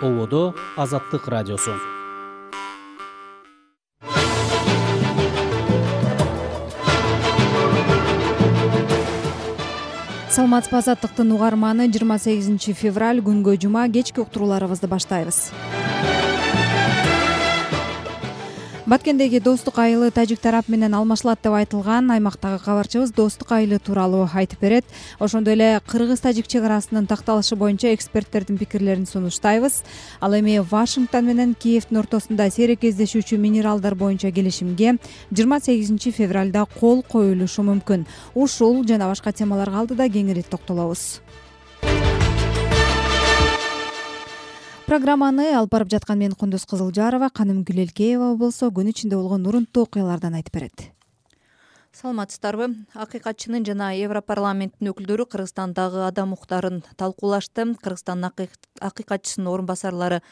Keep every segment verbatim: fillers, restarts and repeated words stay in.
Ободо Азаттык радиосу. Саламатсызбы, Азаттыктын угарманы. жыйырма сегизинчи февраль күнгө жума кечки уктурууларыбызды баштайбыз. Баткендеги Достук айылы тажик тарап менен алмашылат деп айтылган. Аймактагы кабарчыбыз Достук айылы тууралуу айтып берет. Ошондой эле кыргыз-тажик чек арасынын такталышы боюнча эксперттердин пикирлерин сунуштайбыз. Ал эми Вашингтон менен Киевдин ортосунда сейрек кездешүүчү минералдар боюнча келишимге жыйырма сегизинчи февралда кол коюлушу мүмкүн. Ушул жана башка темаларга алдыда кеңири токтолобуз. Программаны алып барып жаткан мен Кундуз Кызылжарова, Каным Гүлелкеева болсо күн ичинде болгон урунттуу окуялардан айтып берет. Саламатсыздарбы? Акыйкатчынын жана Европарламенттин өкүлдөрү Кыргызстандагы адам укуктарын талкуулашты. Кыргызстандын акыйкатчысынын орун басарлары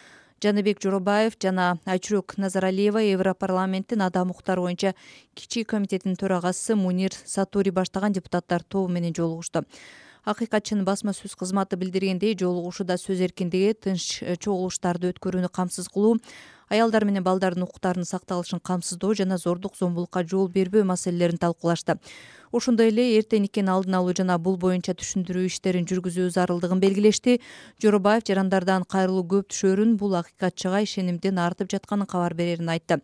Жаныбек Жоробаев жана Айчүрөк Назаралиева Европарламенттин адам укуктары боюнча кичи комитетинин төрагасы Мунир Сатури баштаган депутаттар тобу менен жолугушту. Акыйкатчынын басма сөз кызматы билдиргендей, жолугушууда сөз эркиндиги, тынч чогулуштарды өткөрүүнү камсыз кылуу, аялдар менен балдардын укуктарынын сакталышын камсыздоо жана зордук зомбулукка жол бербөө маселелерин талкуулашты. Ошондой эле эрте никени алдын алуу жана бул боюнча түшүндүрүү иштерин жүргүзүү зарылдыгын белгилешти. Жоробаев жарандардан кайрылуу көп түшөрүн, бул акыйкатчыга ишенимдин артып жатканын кабар берерин айтты.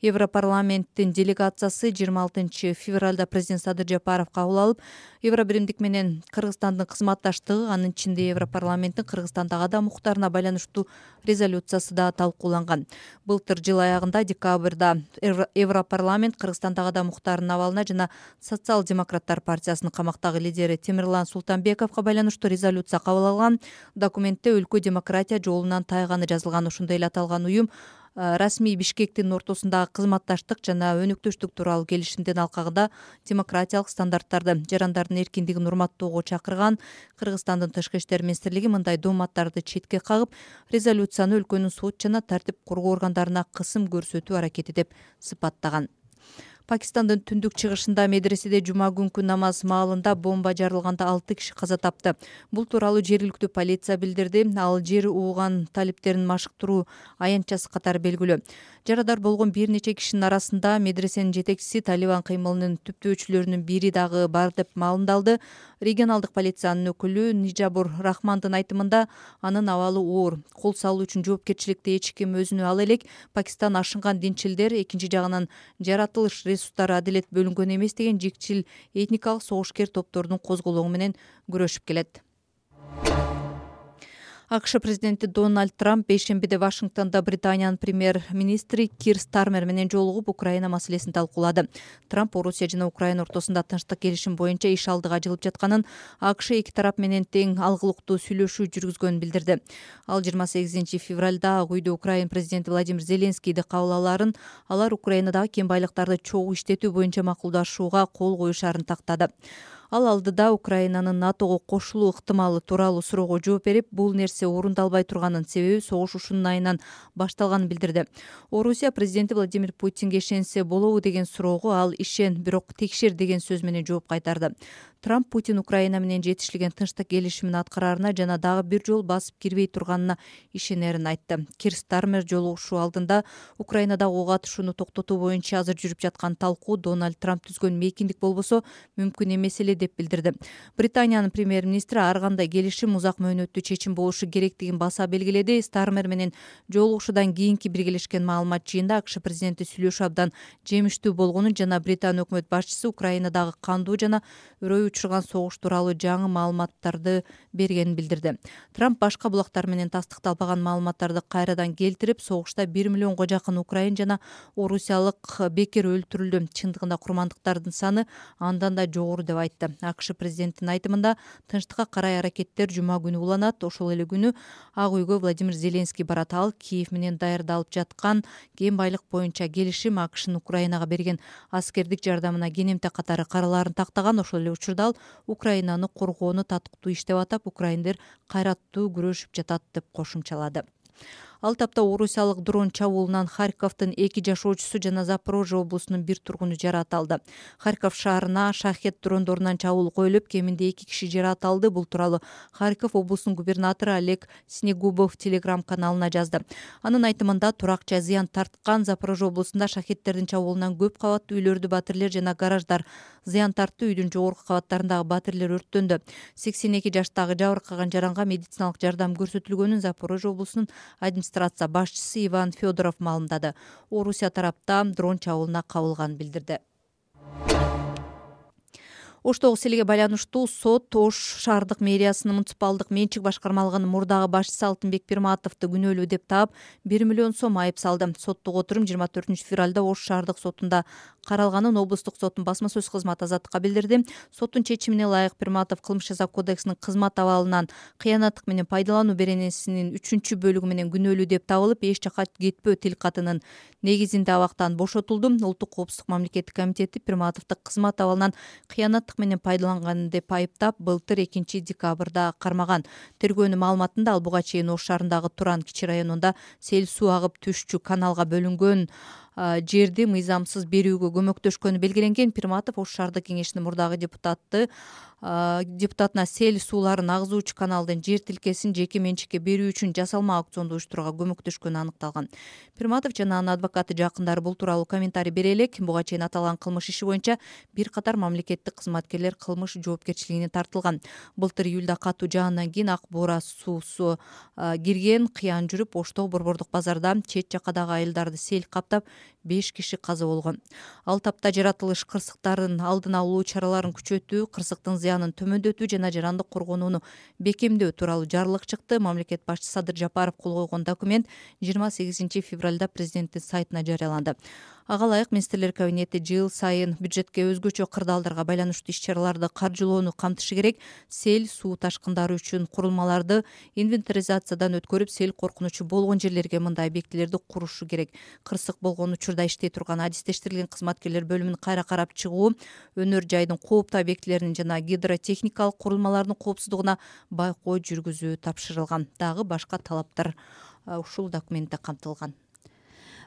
Европарламенттин делегациясы жыйырма алтынчы февралда президент Садыр Жапаров кабыл алып, Евробиримдик менен Кыргызстандын кызматташтыгы, анын ичинде Европарламенттин Кыргызстандагы адам укуктарына байланыштуу резолюциясы да талкууланган. Былтыр жыл аягында декабрда Европарламент Кыргызстандагы адам укуктарынын абалына жана Социал-демократтар партиясынын камактагы лидери Темирлан Султанбековго байланыштуу резолюция кабыл алган. Документте өлкө демократия жолунан тайганы жазылган. Ошондой эле аталган уюм расмий Бишкектин ортосундагы кызматташтык жана өнөктөштүк тууралуу келишимдин алкагында демократиялык стандарттарды, жарандардын эркиндигин урматтоого чакырган. Кыргызстандын тышкы иштер министрлиги мындай дооматтарды четке кагып, резолюцияны өлкөнүн сот жана тартип коргоо органдарына кысым көрсөтүү аракети деп сыпаттаган. Пакистандын түндүк чыгышында медреседе жума күнкү намаз маалында бомба жарылганда алты киши каза тапты. Бул тууралуу жергиликтүү полиция билдирди. Ал жер ууган талиптерин машыктыруу аянтчасы катары белгилүү. Жарадар болгон бир нече кишинин арасында медресенин жетекчиси, Талибан кыймылынын түптөөчүлөрүнүн бири дагы бар деп маалымдалды. Регионалдык полициянын өкүлү Нижабур Рахмандын айтымында, анын абалы оор. Кол салуу үчүн жоопкерчиликти эч ким өзүнө ала элек. Пакистан ашынган динчилдер, экинчи жагынан жаратылыш ресурстары адилет бөлүнгөн эмес деген жикчил этникалык согушкер топтордун козголоңу менен күрөшүп келет. АКШ президенти Дональд Трамп бейшембиде Вашингтондо Британиянын премьер-министри Кир Стармер менен жолугуп, Украина маселесин талкуулады. Трамп Орусия жана Украина ортосунда тынчтык келишим боюнча иш алдыга жылып жатканын, АКШ эки тарап менен тең алгылыктуу сүйлөшүү жүргүзгөнүн билдирди. Ал жыйырма сегизинчи февралда Ак үйдө Украина президенти Владимир Зеленскийди кабыл алаарын, алар Украинадагы кен байлыктарды чогуу иштетүү боюнча макулдашууга кол коюшаарын тактады. Ал алдыда Украинанын НАТОго кошулуу ыктымалы тууралуу суроого жооп берип, бул нерсе орундалбай турганын, себеби согуш ушунун айынан башталганын билдирди. Орусия президенти Владимир Путинге ишенсе болобу деген суроого ал ишен, бирок текшер деген сөз менен жооп кайтарды. Трамп Путин Украина менен жетишилген тынчтык келишимин аткараарына жана дагы бир жол басып кирбей турганына ишенерин айтты. Кир Стармер жолугушуу алдында Украинадагы ок атышууну токтотуу боюнча азыр жүрүп жаткан талкуу Дональд Трамп түзгөн мейкиндик болбосо мүмкүн эмес эле деп билдирди. Британиянын премьер-министри ар кандай келишим узак мөөнөттүү чечим болушу керектигин баса белгиледи. Стармер менен жолугушуудан кийинки биргелешкен маалымат жыйында АКШ президенти сүйлөшүү абдан жемиштүү болгонун жана Британия өкмөт башчысы Украинадагы кандуу жана өрөй учурган согуш тууралуу жаңы маалыматтарды бергенин билдирди. Трамп башка булактар менен тастыкталбаган маалыматтарды кайрадан келтирип, согушта бир миллионго жакын украин жана орусиялык бекер өлтүрүлдү. Чындыгында курмандыктардын саны андан да жогору деп айтты. АКШ президентинин айтымында, тынчтыкка карай аракеттер жума күнү уланат. Ошол эле күнү Ак үйгө Владимир Зеленский барат. Ал Киев менен даярдалып жаткан кен байлык боюнча келишим, АКШнын Украинага берген аскердик жардамына кенемте катары каралаарын тактаган. Ошол эле учурда ал Украинаны коргоону татыктуу иштеп атап, украиндер кайраттуу күрөшүп жатат деп кошумчалады. Ал тапта орусиялык дрон чабуулунан Харьковдун эки жашоочусу жана Запорожье облусунун бир тургуну жаракат алды. Харьков шаарына шахет дрондорунан чабуул коюлуп, кеминде эки киши жаракат алды. Бул тууралуу Харьков облусунун губернатору Олег Снегубов телеграм каналына жазды. Анын айтымында туракча зыян тарткан. Запорожье облусунда шахеттердин чабуулунан көп кабаттуу үйлөрдү батирлер жана гараждар зыян тартты. Үйдүн жогорку кабаттарындагы батирлер өрттөндү. сексен эки жаштагы жабыркаган жаранга медициналык жардам көрсөтүлгөнүн Запорожье облусунун администрация башчысы Иван Федоров маалымдады. Орусия тарапта дрон чабуулуна кабылганын билдирди. Оштогу селге байланыштуу сот Ош шаардык мэриясынын муниципалдык менчик башкармалыгынын мурдагы башчысы Алтынбек Пирматовду күнөөлүү деп таап бир миллион сом айып салды. Соттук отурум жыйырма төртүнчү февралда Ош шаардык сотунда каралганын облустук соттун басма сөз кызматы Азаттыкка билдирди. Соттун чечимине ылайык Пирматов кылмыш жаза кодексинин кызмат абалынан кыянаттык менен пайдалануу беренесинин үчүнчү бөлүгү менен күнөөлүү деп табылып, эч жака кетпөө тил катынын негизинде абактан бошотулду. Улуттук коопсуздук мамлекеттик комитети Пирматовду кызмат абалынан кыянаттык менен пайдаланган деп айыптап, былтыр экинчи декабрда кармаган. Тергөөнүн маалыматында ал буга чейин Ош шаарындагы Туран кичи районунда сел суу агып түшчү каналга бөлүнгөн жерди мыйзамсыз берүүгө көмөктөшкөнү белгиленген. Пирматов Ош шаардык кеңешинин мурдагы депутаты депутатына сел сууларын агызуучу каналдын жер тилкесин жеке менчикке берүү үчүн жасалма аукционду уюштурууга көмөктөшкөнү аныкталган. Пирматов жана анын адвокаты жакындары бул тууралуу комментарий бере элек. Буга чейин аталган кылмыш иши боюнча бир катар мамлекеттик кызматкерлер кылмыш жоопкерчилигине тартылган. Былтыр июлда катуу жаандан кийин Ак Буура суусу кирген кыян жүрүп, Оштогу борбордук базарда чет жакадагы айылдарды сел каптап, беш киши каза болгон. Ал тапта жаратылыш кырсыктарын алдын алуу чараларын күчөтүү, кырсыктын зыянын төмөндөтүү жана жарандык коргонууну бекемдөө тууралуу жарлык чыкты. Мамлекет башчысы Садыр Жапаров кол койгон документ жыйырма сегизинчи февралда президенттин сайтына жарыяланды. Ага ылайык министрлер кабинети жыл сайын бюджетке өзгөчө кырдаалдарга байланыштуу иш-чараларды каржылоону камтышы керек. Сел, суу ташкындары үчүн курулмаларды инвентаризациядан өткөрүп, сел коркунучу болгон жерлерге мындай объектилерди курушу керек. Кырсык болгон учурда иштей турган адистештирилген кызматкерлер бөлүмүн кайра карап чыгуу, өнөр жайдын кооптуу объектилеринин жана гидротехникалык курулмалардын коопсуздугуна байкоо жүргүзүү тапшырылган. Дагы башка талаптар ушул документте камтылган.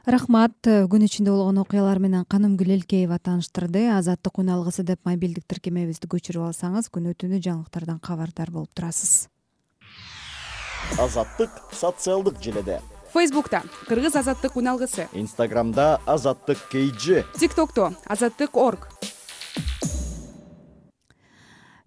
Рахмат. Күн ичинде болгон окуялар менен Канымгүл Элкеева тааныштырды. Азаттык үн алгысы деп мобилдик тиркемебизди көчүрүп алсаңыз, күнү-түнү жаңылыктардан кабардар болуп турасыз. Азаттык социалдык желеде. Фейсбукта Кыргыз азаттык үн алгысы. Инстаграмда Азаттык КЖ. ТикТокто Азаттык орг.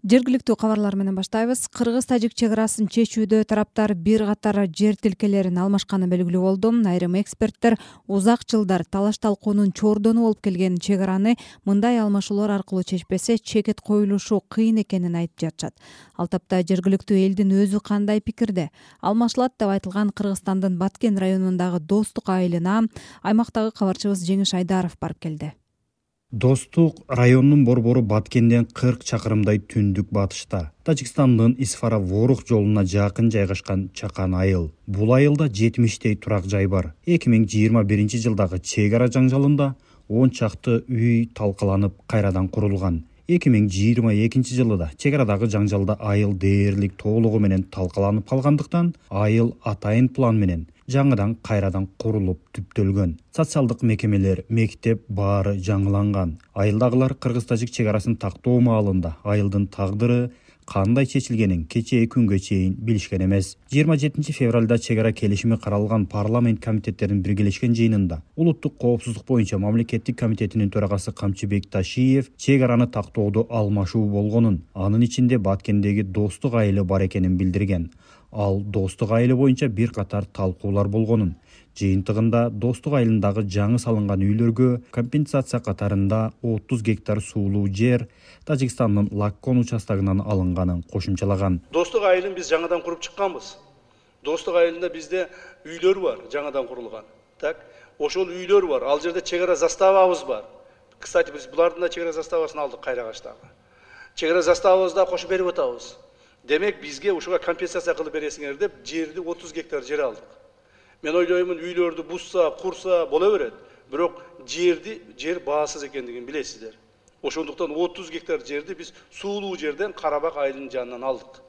Жергиликтүү кабарлар менен баштайбыз. Кыргыз-тажик чек арасын чечүүдө тараптар бир катар жер тилкелерин алмашканы белгилүү болду. Айрым эксперттер узак жылдар талаш талкуунун чордону болуп келген чек араны мындай алмашуулар аркылуу чечпесе, чекет коюлушу кыйын экенин айтып жатышат. Ал тапта жергиликтүү элдин өзү кандай пикирде? Алмашылат деп айтылган Кыргызстандын Баткен районундагы Достук айылына аймактагы кабарчыбыз Жеңиш Айдаров барып келди. Достук районунун борбору Баткенден кырк чакырымдай түндүк батышта. Тажикстандын Исфара-Ворух жолуна жакын жайгашкан чакан айыл. Бул айылда жетимиштей турак жай бар. эки миң жыйырма биринчи жылдагы чек ара жаңжалында он чакты үй талкаланып кайрадан курулган. эки миң жыйырма экинчи жылы да чек арадагы жаңжалда айыл дээрлик толугу менен талкаланып калгандыктан айыл атайын план менен жаңыдан кайрадан курулуп түптөлгөн. Социалдык мекемелер, мектеп баары жаңыланган. Айылдагылар кыргыз-тажик чек арасын тактоо маалында айылдын тагдыры кандай чечилгенин кечээ күнгө чейин билишкен эмес. жыйырма жетинчи февралда чек ара келишими каралган парламент комитеттеринин биргелешкен жыйынында улуттук коопсуздук боюнча мамлекеттик комитетинин төрагасы Камчыбек Ташиев чек араны тактоодо алмашуу болгонун, анын ичинде Баткендеги Достук айылы бар экенин билдирген. Ал Достук айылы боюнча бир катар талкуулар болгонун, жыйынтыгында Достук айылындагы жаңы салынган үйлөргө компенсация катарында отуз гектар суулуу жер Тажикстандын Лаккон участогунан алынганын кошумчалаган. Достук айылын биз жаңадан куруп чыкканбыз. Достук айылында бизде үйлөр бар, жаңадан курулган. Так, ошол үйлөр бар. Ал жерде чек ара заставабыз бар. Кстати, биз булардын да чек ара заставасын алдык Кайрагачтагы. Чек ара заставабызды да кошуп берип атабыз. Демек бизге ушуга компенсация кылып бересиңер деп жерди отуз гектар жер алдык. Мен ойлоймун, үйлөрдү бузса, курса боло берет, бирок жерди жер баасыз экендигин билесиздер. Ошондуктан отуз гектар жерди биз суулуу жерден Карабак айылынын жанынан алдык.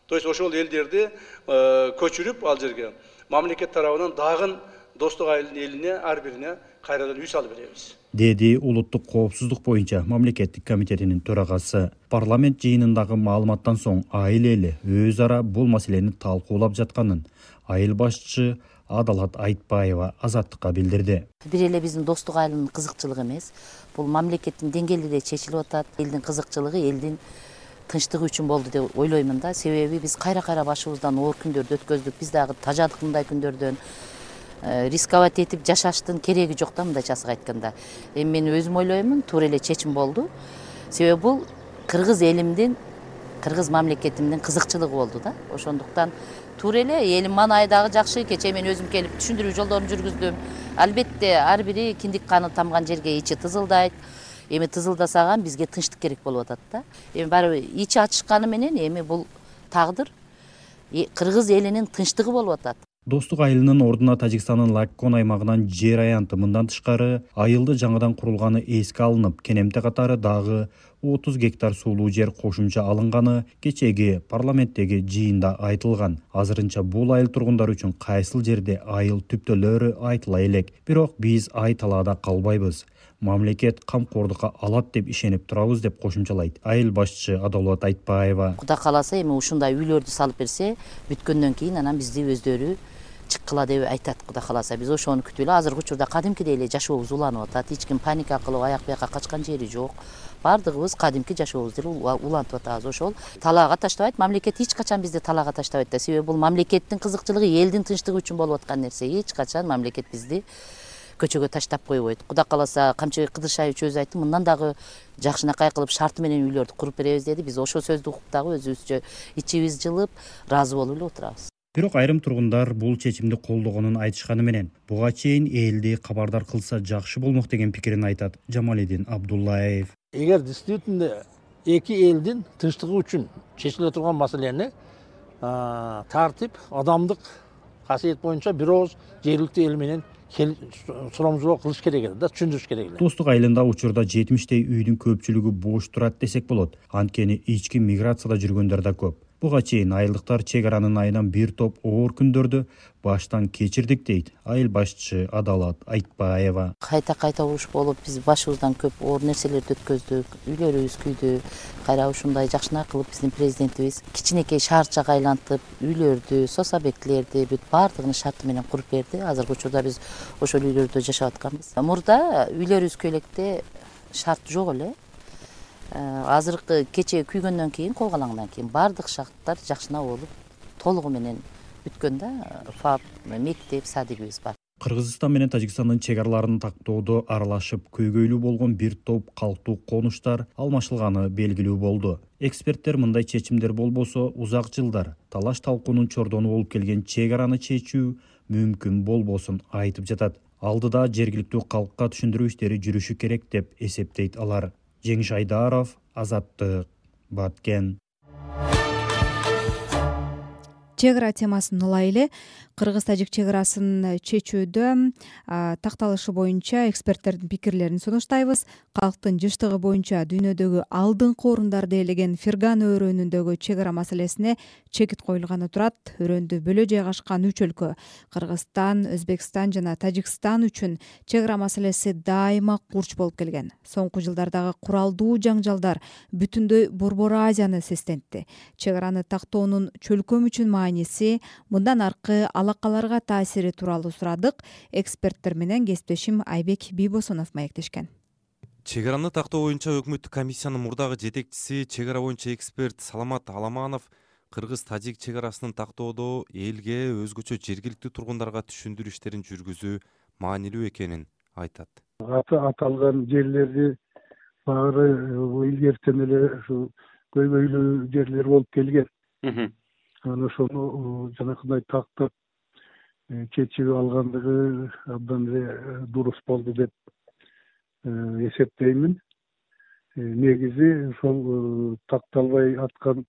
То есть ошол элдерди көчүрүп ал жерге мамлекет тарабынан дагы достук айылдын элине ар бирине кайрадан үй салып беребиз, деди улуттук коопсуздук боюнча мамлекеттик комитетинин төрагасы. Парламент жыйынындагы маалыматтан соң айыл эли өз ара бул маселени талкуулап жатканын айыл башчысы Адалат Айтбаева Азаттыкка билдирди. Бир эле биздин достук айылынын кызыкчылыгы эмес, бул мамлекеттин деңгээлинде чечилип атат. Элдин кызыкчылыгы элдин тынчтыгы үчүн болду деп ойлоймун да. Себеби биз кайра-кайра башыбыздан оор күндөрдү өткөздүк. Биз дагы тажадык мындай күндөрдөн. Рисковать этип жашаштын кереги жок да, мындайча айтканда. Эми мен өзүм ойлоймун, туура эле чечим болду. Себеби бул кыргыз элимдин, кыргыз мамлекетимдин кызыкчылыгы болду да. Ошондуктан туура эле элим мана дагы жакшы. Кечээ мен өзүм келип түшүндүрүү жолдорун жүргүздүм. Албетте ар бири киндик каны тамган жерге ичи тызылдайт. Эми тызылдасаган бизге тынчтык керек болуп атат да. Эми барыбыр ичи ачышканы менен эми бул тагдыр кыргыз элинин тынчтыгы болуп атат. Достук айылынын ордуна Тажикстандын Лаккон аймагынан жер аянты. Мындан тышкары айылды жаңыдан курулганы эске алынып, Кенемте катары дагы отуз гектар суулуу жер кошумча алынганы кечеги парламенттеги жыйында айтылган. Азырынча бул айыл тургундары үчүн кайсыл жерде айыл түптөлөрү айтыла элек. Бирок биз ай талаада калбайбыз. Мамлекет камкордукка алат деп ишенип турабыз деп кошумчалайт айыл башчысы Адалат Айтбаева. Кудай кааласа эми ушундай үйлөрдү салып берсе, бүткөндөн кийин анан бизди өздөрү чыккыла деп айтат. Кудай кааласа биз ошону күтүп эле азыркы учурда кадимкидей эле жашообуз уланып атат. Эч ким паника кылып аяк бияка качкан жери жок. Бардыгыбыз кадимки жашообузду улантып атабыз. Ошол талаага таштабайт. Мамлекет эч качан бизди талаага таштабайт да. Себеби бул мамлекеттин кызыкчылыгы, элдин тынчтыгы үчүн болуп аткан нерсе. Эч качан мамлекет бизди көчөгө таштап койбойт. Кудай кааласа Камчыбек Кыдыршаевич өзү айтты, мындан дагы жакшынакай кылып шарты менен үйлөрдү куруп беребиз деди. Биз ошол сөздү угуп дагы өзүбүзчө ичибиз жылып, ыраазы болуп эле отурабыз. Бирок айрым тургундар бул чечимди колдогонун айтышканы менен буга чейин элди кабардар кылса жакшы болмок деген пикирин айтат Жамалидин Абдуллаев. Эгер действительно эки элдин тынчтыгы үчүн чечиле турган маселени тартип, адамдык касиет боюнча бир ооз жергиликтүү эл менен сурамжылоо кылыш керек эле да, түшүндүрүш керек эле. Достук айылында учурда жетимиштей үйдүн көпчүлүгү бош турат десек болот. Анткени ички миграцияда жүргөндөр да көп. Буга чейин айылдыктар чек аранын айынан бир топ оор күндөрдү баштан кечирдик дейт айыл башчысы Адалат Айтбаева. Кайта-кайта уруш болуп, биз башыбыздан көп оор нерселерди өткөздүк, үйлөрүбүз күйдү. Кайра ушундай жакшынакай кылып биздин президентибиз кичинекей шаарчага айлантып, үйлөрдү, сос объектилерди бүт баардыгын шарты менен куруп берди. Азыркы учурда биз ошол үйлөрдө жашап атканбыз. Мурда үйлөрүбүз көйлекте шарт жок эле. Азыркы кечээ күйгөндөн кийин, кол калаңдан кийин баардык шарттар жакшына болуп, толугу менен бүткөн да. ФАП, мектеп, садигибиз бар. Кыргызстан менен Тажикстандын чек араларын тактоодо аралашып көйгөйлүү болгон бир топ калктуу конуштар алмашылганы белгилүү болду. Эксперттер мындай чечимдер болбосо узак жылдар талаш талкуунун чордону болуп келген чек араны чечүү мүмкүн болбосун айтып жатат. Алдыда жергиликтүү калкка түшүндүрүү иштери жүрүшү керек деп эсептейт алар. Жеңиш Айдаров, Азаттык, Баткен. Чек ара темасын улай эле кыргыз-тажик чек арасын чечүүдө такталышы боюнча эксперттердин пикирлерин сунуштайбыз. Калктын жыштыгы боюнча дүйнөдөгү алдыңкы орундарды ээлеген Фергана өрөөнүндөгү чек ара маселесине чекит коюлганы турат. Өрөөндү бөлө жайгашкан үч өлкө Кыргызстан, Өзбекстан жана Тажикстан үчүн чек ара маселеси дайыма курч болуп келген. Соңку жылдардагы куралдуу жаңжалдар бүтүндөй Борбор Азияны сестентти. Чек араны тактоонун чөлкөм үчүн мааниси, мындан аркы алакаларга таасири тууралуу сурадык. Эксперттер менен кесиптешим Айбек Бийбосунов маектешкен. Чек араны тактоо боюнча өкмөттүк комиссиянын мурдагы жетекчиси, чек ара боюнча эксперт Саламат Аламанов кыргыз-тажик чек арасын тактоодо элге, өзгөчө жергиликтүү тургундарга түшүндүрүү иштерин жүргүзүү маанилүү экенин айтат. Аталган жерлерди баары илгертен эле ушу көйгөйлүү жерлер болуп келген. Анан ошону жанакындай тактап чечип алгандыгы абдан эле дурус болду деп эсептеймин. Негизи ошол такталбай аткан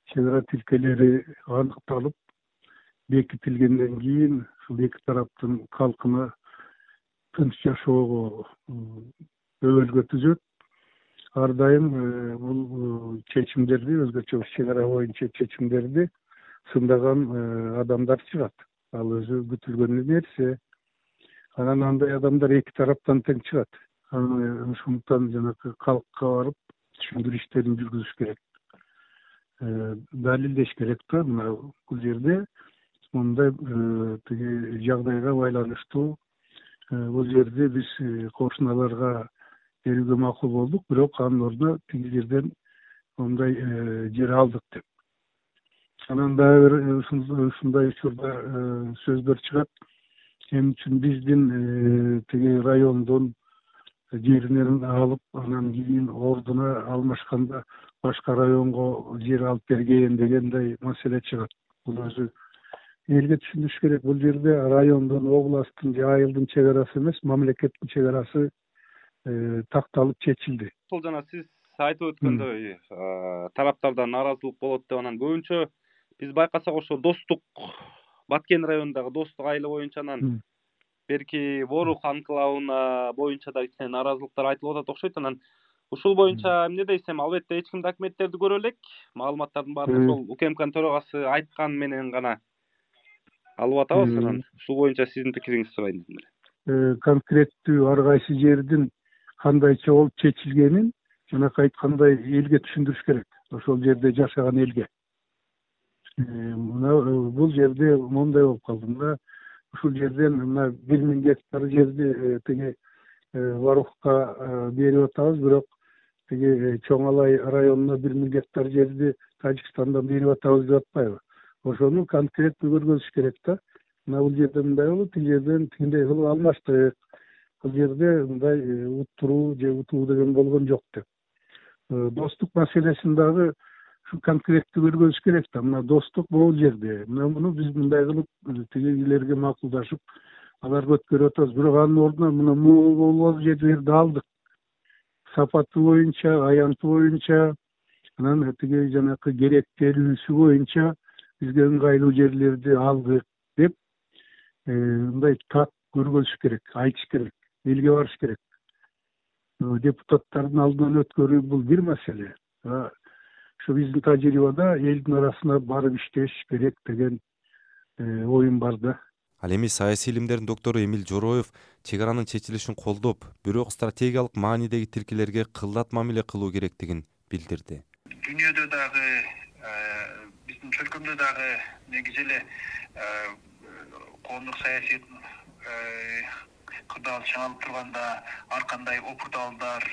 чек ара тилкелери аныкталып, бекитилгенден кийин ушул эки тараптын калкына тынч жашоого өбөлгө түзөт. ар дайым бул чечимдерди, өзгөчө чек ара боюнча чечимдерди сындаган адамдар чыгат. Ал өзү күтүлгөн нерсе. Анан андай адамдар эки тараптан тең чыгат. Ошондуктан жанагы калкка барып түшүндүрүү иштерин жүргүзүш керек, далилдеш керек да. Мына бул жерде мындай тиги жагдайга байланыштуу бул жерде биз кошуналарга берүүгө макул болдук, бирок анын ордуна тиги жерден мындай жер алдык деп. Анан дагы бир ушундай учурда сөздөр чыгат. Эмне үчүн биздин тиги райондон жеринен алып, анан кийин ордуна алмашканда башка районго жер алып берген дегендей маселе чыгат. Бул өзү элге түшүндүрүш керек. Бул жерде райондун, областтын же айылдын чек арасы эмес, мамлекеттин чек арасы такталып чечилди. Ошол жана сиз айтып өткөндөй тараптардан нааразылык болот деп, анан көбүнчө биз байкасак ошо Достук, Баткен районундагы Достук айылы боюнча, анан берки Ворух анклавына боюнча да кичине нааразылыктар айтылып атат окшойт. Анан ушул боюнча эмне дейсем, албетте эч ким документтерди көрө элек. Маалыматтардын баарын ошол УКМКнын төрагасы айткан менен гана алып атабыз. Анан ушул боюнча сиздин пикириңизди сурайын дедим эле. Конкреттүү ар кайсы жердин кандайча болуп чечилгенин жанакы айткандай элге түшүндүрүш керек. Ошол жерде жашаган элге. Мына бул жерде мондай болуп калды. Мына ушул жерден мына бир миң гектар жерди тиги Варухка берип атабыз, бирок тиги Чоң Алай районуна бир миң гектар жерди Тажикстандан берип атабыз деп атпайбы? Ошону конкреттүү көргөзүш керек да. Мына бул жерде мындай болуп, тиги жерден тигиндей кылып алмаштык. Бул жерде мындай уттуруу же утуу деген болгон жок деп. Достук маселесин дагы ушу конкреттүү көргөзүш керек да. Мына Достук бул жерде. Мына муну биз мындай кылып тигилерге макулдашып, аларга өткөрүп атабыз. Бирок анын ордуна мына могул жерлерди алдык. Сапаты боюнча, аянты боюнча, анан тиги жанакы керектелүүсү боюнча бизге ыңгайлуу жерлерди алдык деп мындай так көргөзүш керек, айтыш керек, элге барыш керек. Депутаттардын алдынан өткөрүү бул бир маселе. Ошо биздин тажрыйбада элдин арасына барып иштеш керек деген оюм бар да. Ал эми саясий илимдердин доктору Эмил Жороев чек аранын чечилишин колдоп, бирок стратегиялык маанидеги тилкелерге кылдат мамиле кылуу керектигин билдирди. Дүйнөдө дагы, биздин чөлкөмдө дагы негизи эле коомдук саясий кырдаал чыңалып турганда ар кандай опурталдар,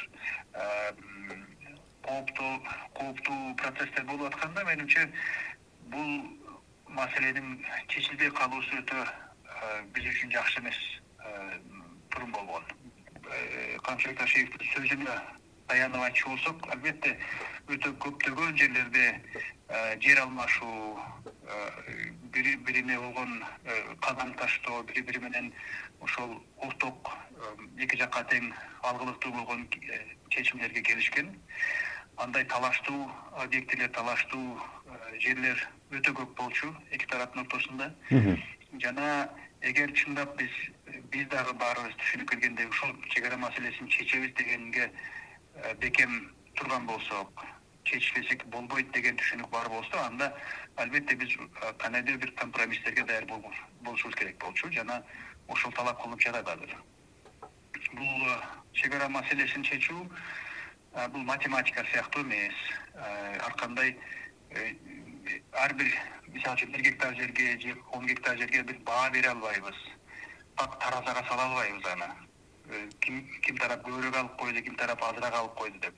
кооптуу кооптуу процесстер болуп атканда, менимче бул маселенин чечилбей калуусу өтө биз үчүн жакшы эмес турум болгон. Камчыбек Ташиевдин сөзүнө таянып айтчу болсок, албетте өтө көптөгөн жерлерде жер алмашуу, бири бирине болгон кадам таштоо, бири бири менен ошол улуттук эки жакка тең алгылыктуу болгон чечимдерге келишкен. Андай талаштуу объектилер, талаштуу жерлер өтө көп болчу эки тараптын ортосунда. Жана эгер чындап биз биз дагы баарыбыз түшүнүп келгендей ушул чек ара маселесин чечебиз дегенге бекем турган болсок, чечпесек болбойт деген түшүнүк бар болсо, анда албетте биз кандайдыр бир компромисстерге даяр болушубуз керек болчу. Жана ошол талап кылынып жатат азыр. Бул чек ара маселесин чечүү бул математика сыяктуу эмес. Ар кандай ар бир, мисалы үчүн, бир гектар жерге же он гектар жерге бир баа бере албайбыз. Так таразага сала албайбыз аны. Ким ким тарап көбүрөөк алып койду, ким тарап азыраак алып койду деп.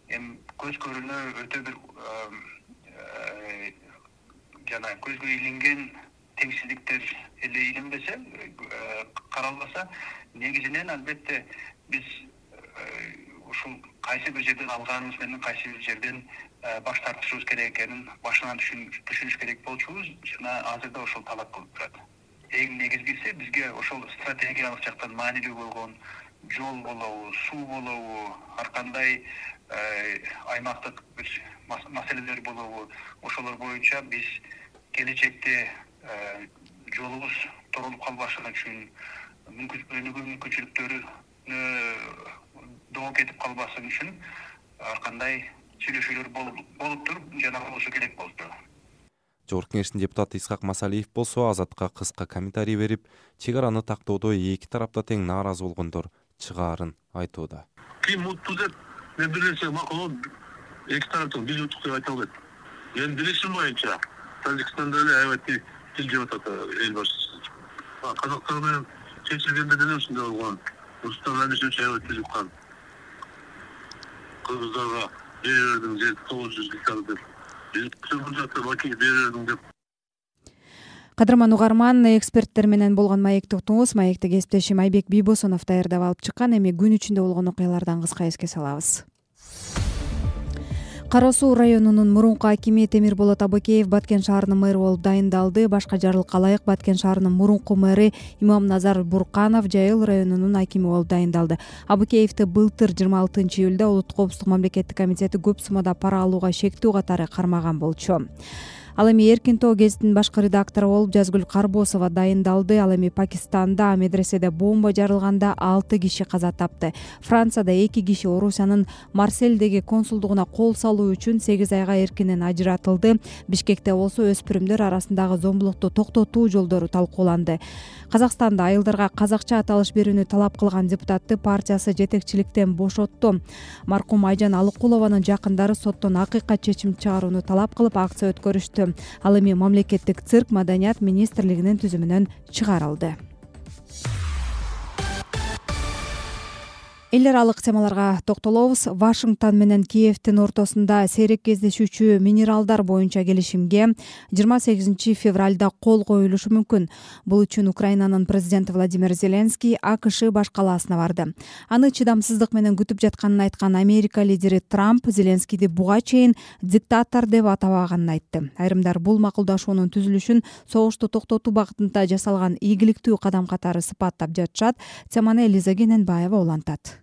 Эми көз көрүнө өтө бир жана көзгө илинген теңсиздиктер эле илинбесе, каралбаса, негизинен албетте биз ушул кайсы бир жерден алганыбыз менен кайсы бир жерден баш тартышыбыз керек экенин башынан түшүнүш керек болчубуз. Жана азырда ошол талап кылып турат. Эң негизгиси бизге ошол стратегиялык жактан маанилүү болгон жол болобу, суу болобу, ар кандай аймактык бир маселелер болобу, ошолор боюнча биз келечекте жолубуз торолуп калбашы үчүн, өнүгүү мүмкүнчүлүктөрү доо кетип калбасын үчүн ар кандай сүйлөшүүлөр болуптур жана болушу керек болду. Жогорку Кеңештин депутаты Исхак Масалиев болсо Азатка кыска комментарий берип, чек араны тактоодо эки тарапта тең нааразы болгондор чыгаарын айтууда. Ким утту деп мен билсем макул эки тараптан биз уттук деп айта албайт. Мен билишим боюнча Тажикстанда эле аябай тил жеп атат эл башчысы. Казактар менен чечилгенде деле ушундай болгон. Рустам Эмишевич аябай тил жуккан. Кыргыздарга бере бердиң жер тогуз жүз гектар деп. Кадырман угарман, эксперттер менен болгон маекти уктуңуз. Маекти кесиптешим Айбек Бийбосунов даярдап алып чыккан. Эми күн ичинде болгон окуялардан кыска эске салабыз. Кара Суу районунун мурунку акими Темирболот Абыкеев Баткен шаарынын мэрі болуп дайындалды. Башка жарлыкка ылайык Баткен шаарынын мурунку мэри Имамназар Бурканов Жайыл районунун акими болуп дайындалды. Абыкеевди былтыр жыйырма алтынчы июлда Улуттук коопсуздук мамлекеттик комитети көп суммада пара алууга шектүү катары кармаган болчу. Ал эми Эркин Тоо гезитинин башкы редактору болуп Жазгүл Карбосова дайындалды. Ал эми Пакистанда медреседе бомба жарылганда алты киши каза тапты. Францияда эки киши Орусиянын Марселдеги консулдугуна кол салуу үчүн сегиз айга эркинен ажыратылды. Бишкекте болсо өспүрүмдөр арасындагы зомбулукту токтотуу жолдору талкууланды. Казакстанда айылдарга казакча аталыш берүүнү талап кылган депутатты партиясы жетекчиликтен бошотту. Маркум Айжан Алыкулованын жакындары соттон акыйкат чечим чыгарууну талап кылып акция өткөрүштү. Ал эми мамлекеттик цирк маданият министрлигинин түзүмүнөн чыгарылды. Эл аралык темаларга токтолобуз. Вашингтон менен Киевдин ортосунда сейрек кездешүүчү минералдар боюнча келишимге жыйырма сегизинчи февралда кол коюлушу мүмкүн. Бул үчүн Украинанын президенти Владимир Зеленский АКШ баш калаасына барды. Аны чыдамсыздык менен күтүп жатканын айткан Америка лидери Трамп Зеленскийди буга чейин диктатор деп атабаганын айтты. Айрымдар бул макулдашуунун түзүлүшүн согушту токтотуу багытында жасалган ийгиликтүү кадам катары сыпаттап жатышат. Теманы Элиза Кененбаева улантат.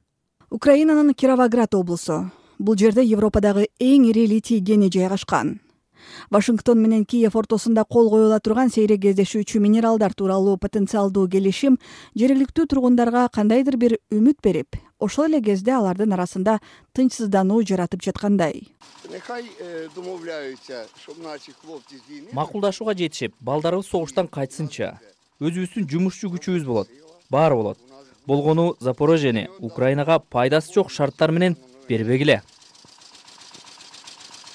Украинанын Кировоград облусу. Бул жерде Европадагы эң ири литий кени жайгашкан. Вашингтон менен Киев ортосунда кол коюла турган сейрек кездешүүчү минералдар тууралуу потенциалдуу келишим жергиликтүү тургундарга кандайдыр бир үмүт берип, ошол эле кезде алардын арасында тынчсыздануу жаратып жаткандай. Макулдашууга жетишип, балдарыбыз согуштан кайтсынчы. Өзүбүздүн жумушчу күчүбүз болот. Баары болот. Болгону Запорожьени Украинага пайдасы жок шарттар менен бербегиле.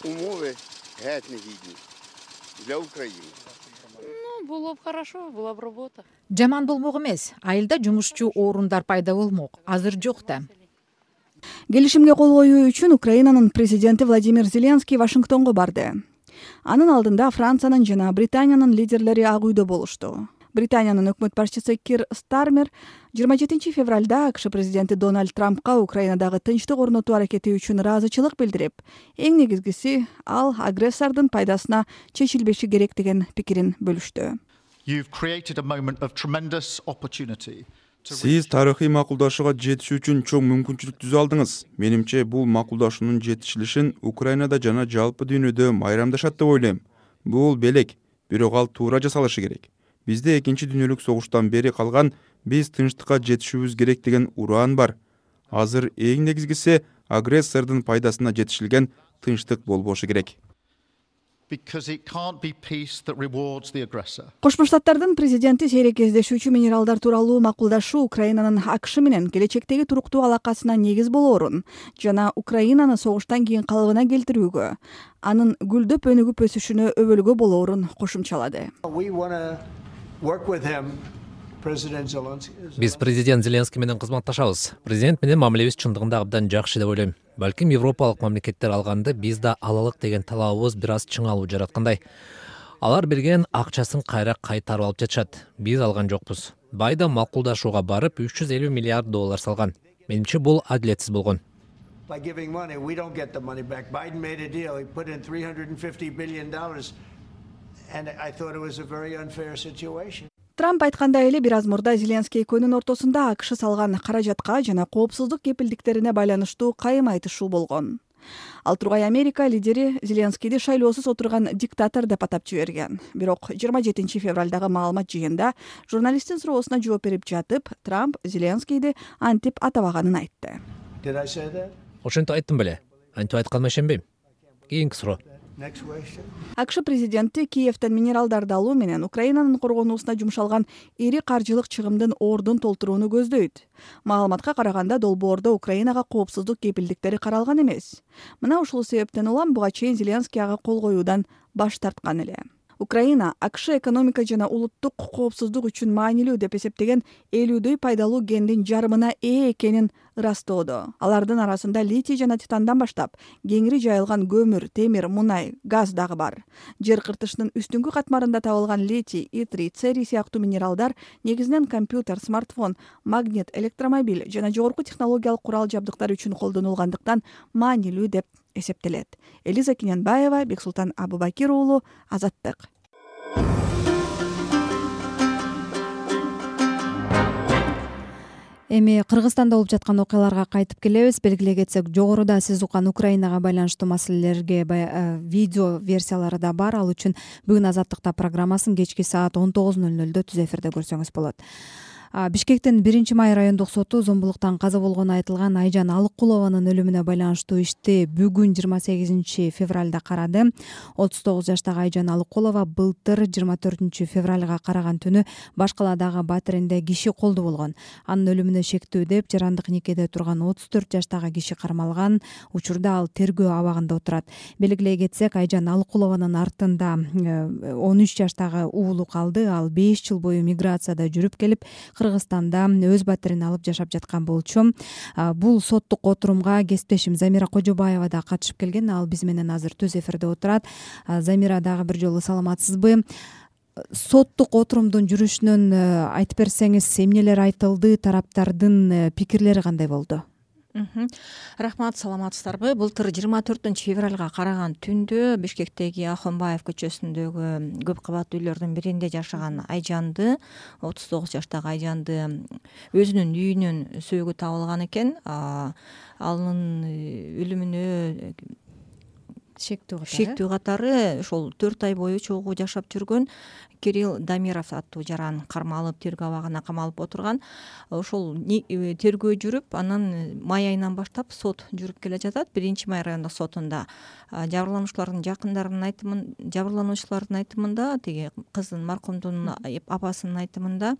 Умовы негидни для Украины. Ну, было бы хорошо, была бы работа. Жаман болмок эмес. Айылда жумушчу орундар пайда болмок. Азыр жок да. Келишимге кол коюу үчүн Украинанын президенти Владимир Зеленский Вашингтонго барды. Анын алдында Франциянын жана Британиянын лидерлери Ак үйдө болушту. Британиянын өкмөт башчысы Кир Стармер жыйырма жетинчи февралда АКШ президенти Дональд Трампка Украинадагы тынчтык орнотуу аракети үчүн ыраазычылык билдирип, эң негизгиси ал агрессордун пайдасына чечилбеши керек деген пикирин бөлүштү. Сиз тарыхый макулдашууга жетишүү үчүн чоң мүмкүнчүлүк түзө алдыңыз. Менимче бул макулдашуунун жетишилишин Украинада жана жалпы дүйнөдө майрамдашат деп ойлойм. Бул белек, бирок ал туура жасалышы керек. Бизде экинчи дүйнөлүк согуштан бери калган биз тынчтыкка жетишүүбүз керек деген ураан бар. Азыр эң негизгиси агрессордун пайдасына жетишилген тынчтык болбошу керек. Кошмо Штаттардын президенти сейрек кездешүүчү минералдар тууралуу макулдашуу Украинанын АКШ менен келечектеги туруктуу алакасына негиз болоорун жана Украинаны согуштан кийин калыбына келтирүүгө, анын гүлдөп өнүгүп өсүшүнө өбөлгө болоорун кошумчалады. Биз президент Зеленский менен кызматташабыз. Президент менен мамилебиз чындыгында абдан жакшы деп ойлойм. Балким европалык мамлекеттер алганды биз да алалык деген талабыбыз бир аз чыңалуу жараткандай. Алар берген акчасын кайра кайтарып алып жатышат. Биз алган жокпуз. Байда макулдашууга барып үч жүз элүү миллиард доллар салган. Менимче бул адилетсиз болгон. Трамп айткандай эле бир аз мурда Зеленский экөөнүн ортосунда АКШ салган каражатка жана коопсуздук кепилдиктерине байланыштуу кайым айтышуу болгон. Ал тургай Америка лидери Зеленскийди шайлоосуз отурган диктатор деп атап жиберген. Бирок жыйырма жетинчи февралдагы маалымат жыйында журналисттин суроосуна жооп берип жатып, Трамп Зеленскийди антип атабаганын айтты. Ошентип айттым беле. антип айтканыма ишенбейм. Кийинки суроо. акш президенти Киевден минералдарды алуу менен Украинанын коргонуусуна жумшалган ири каржылык чыгымдын ордун толтурууну көздөйт. Маалыматка караганда долбоордо Украинага коопсуздук кепилдиктери каралган эмес. Мына ушул себептен улам буга чейин Зеленский ага кол коюудан баш тарткан эле. Украина акш экономика жана улуттук коопсуздук үчүн маанилүү деп эсептеген элүүдөй пайдалуу кендин жарымына ээ экенин ырастоодо. Алардын арасында литий жана титандан баштап кеңири жайылган көмүр, темир, мунай, газ дагы бар. Жер кыртышынын үстүңкү катмарында табылган литий, итрий, церий сыяктуу минералдар негизинен компьютер, смартфон, магнит, электромобиль жана жогорку технологиялык курал жабдыктар үчүн колдонулгандыктан маанилүү деп эсептелет. Элиза Киненбаева, Бексултан Абубакир уулу, Азаттык. Эми Кыргызстанда болуп жаткан окуяларга кайтып келебиз. Белгилей кетсек, жогоруда сиз уккан Украинага байланыштуу маселелерге видео версиялары да бар. Ал үчүн бүгүн Азаттыкта программасын кечки саат он тогуз ноль нолдо түз эфирде көрсөңүз болот. Бишкектин биринчи май райондук соту зомбулуктан каза болгону айтылган Айжан Алыккулованын өлүмүнө байланыштуу ишти бүгүн жыйырма сегизинчи февралда карады. отуз тогуз жаштагы Айжан Алыккулова былтыр жыйырма төртүнчү февралга караган түнү Башкаладагы Батиринде киши колду болгон. Анын өлүмүнө шектүү деп жарандык никеде турган отуз төрт жаштагы киши кармалган. Учурда ал тергөө абагында отурат. Белгилей кетсек, Айжан Алыккулованын артында он үч жаштагы уулу калды. Ал беш жыл бою миграцияда жүрүп келип, Кыргызстанда өз батирин алып жашап жаткан болчу. Бул соттук отурумга кесиптешим Замира Кожобаева да катышып келген. Ал биз менен азыр түз эфирде отурат. Замира, дагы бир жолу саламатсызбы? Соттук отурумдун жүрүшүнөн айтып берсеңиз, эмнелер айтылды, тараптардын пикирлери кандай болду? Рахмат, саламатсыздарбы? Былтыр жыйырма төртүнчү февралга караган түндө Бишкектеги Ахунбаев көчөсүндөгү көп кабаттуу үйлөрдүн биринде жашаган Айжанды, отуз тогуз жаштагы Айжанды өзүнүн үйүнөн сөөгү табылган экен. Анын өлүмүнө шектүү катары ошол төрт ай бою чогуу жашап жүргөн Кирилл Дамиров аттуу жаран кармалып, тергөө абагына камалып отурган. Ошол тергөө жүрүп, анан май айынан баштап сот жүрүп келе жатат. Биринчи май райондук сотунда жабырлануучулардын жакындарынын айтымын, жабырлануучулардын айтымында, тиги кыздын, маркумдун апасынын айтымында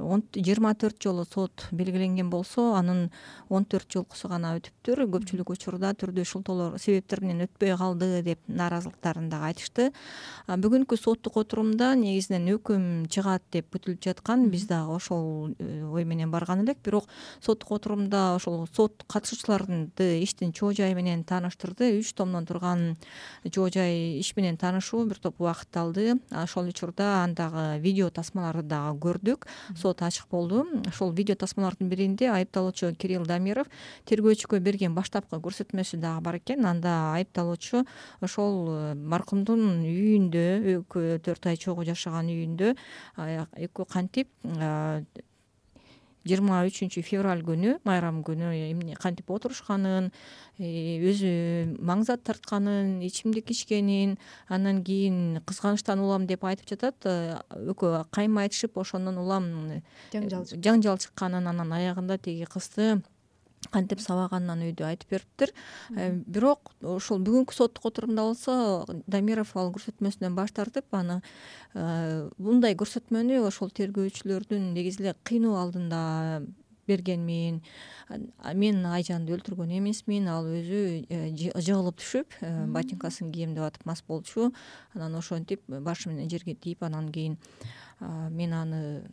жыйырма төрт жолу сот белгиленген болсо, анын он төрт жолкусу гана өтүптүр. Көпчүлүк учурда түрдүү шылтоолор себептер менен өтпөй калды деп нааразылыктарын дагы айтышты. Бүгүнкү соттук отурумда негизинен өкүм чыгат деп күтүлүп жаткан. Биз дагы ошол ой менен барган элек. Бирок соттук отурумда ошол сот катышуучуларды иштин чоо жайы менен тааныштырды. Үч томдон турган чоо жай иш менен таанышуу бир топ убакыт алды. Ошол учурда андагы видео тасмаларды дагы көрдүк. Ачык болду. Ошол видео тасмалардын биринде айыпталуучу Кирилл Дамиров тергөөчүгө берген баштапкы көрсөтмөсү дагы бар экен. Анда айыпталуучу ошол маркумдун үйүндө, экөө төрт ай чогуу жашаган үйүндө экөө кантип жыйырма үчүнчү февраль күнү, майрам күнү эмне кантип отурушканын, өзү маң зат тартканын, ичимдик ичкенин, андан кийин кызганычтан улам деп айтып жатат. Экөө кайма айтышып, ошондон улам жаңжал чыкканын, анан аягында тиги кызды кантип сабаганынан өйдө айтып бериптир. Бирок ошол бүгүнкү соттук отурумда болсо Дамиров ал көрсөтмөсүнөн баш тартып, аны мындай көрсөтмөнү ошол тергөөчүлөрдүн негизи эле кыйноо алдында берген. Мен Айжанды өлтүргөн эмесмин, ал өзү жыгылып түшүп, ботинкасын кийем деп атып мас болчу. Анан ошентип башы менен жерге тийип, анан кийин мен аны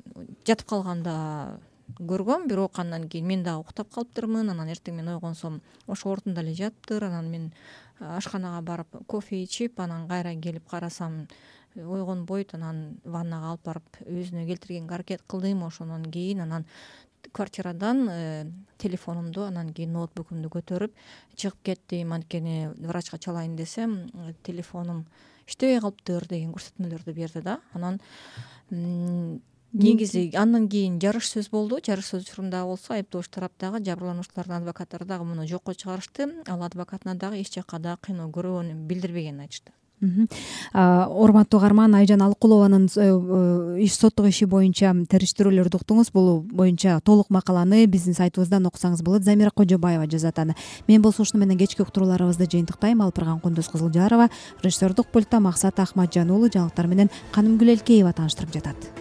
жатып калганда көргөм, бирок андан кийин мен дагы уктап калыптырмын. Анан эртең мен ойгонсом ошол ордунда эле жатыптыр. Анан мен ашканага барып кофе ичип, анан кайра келип карасам ойгонбойт. Анан ваннага алып барып өзүнө келтиргенге аракет кылдым. Ошондон кийин анан квартирадан телефонумду, анан кийин ноутбукумду көтөрүп чыгып кеттим. Анткени врачка чалайын десем, телефонум иштебей калыптыр деген көрсөтмөлөрдү берди да. Анан негизи андан кийин жарыш сөз болду. Жарыш сөз учурунда болсо айыптоочу тараптагы жабырлануучулардын адвокаттары дагы муну жокко чыгарышты. Ал адвокатына дагы эч жакка да кыйноо көрбөгөнүн билдирбегенин айтышты. урматтуу угарман, Айжан Алыкулованын иш соттук иши боюнча териштирүүлөрдү уктуңуз. Бул боюнча толук макаланы биздин сайтыбыздан окусаңыз болот. Замира Кожобаева жазат аны. Мен болсо ушуну менен кечки уктурууларыбызды жыйынтыктайм. Алып барган Кундуз Кызылжарова, режиссердук пультта Максат Ахматжан уулу, жаңылыктар менен Канымгүл Элкеева тааныштырып жатат.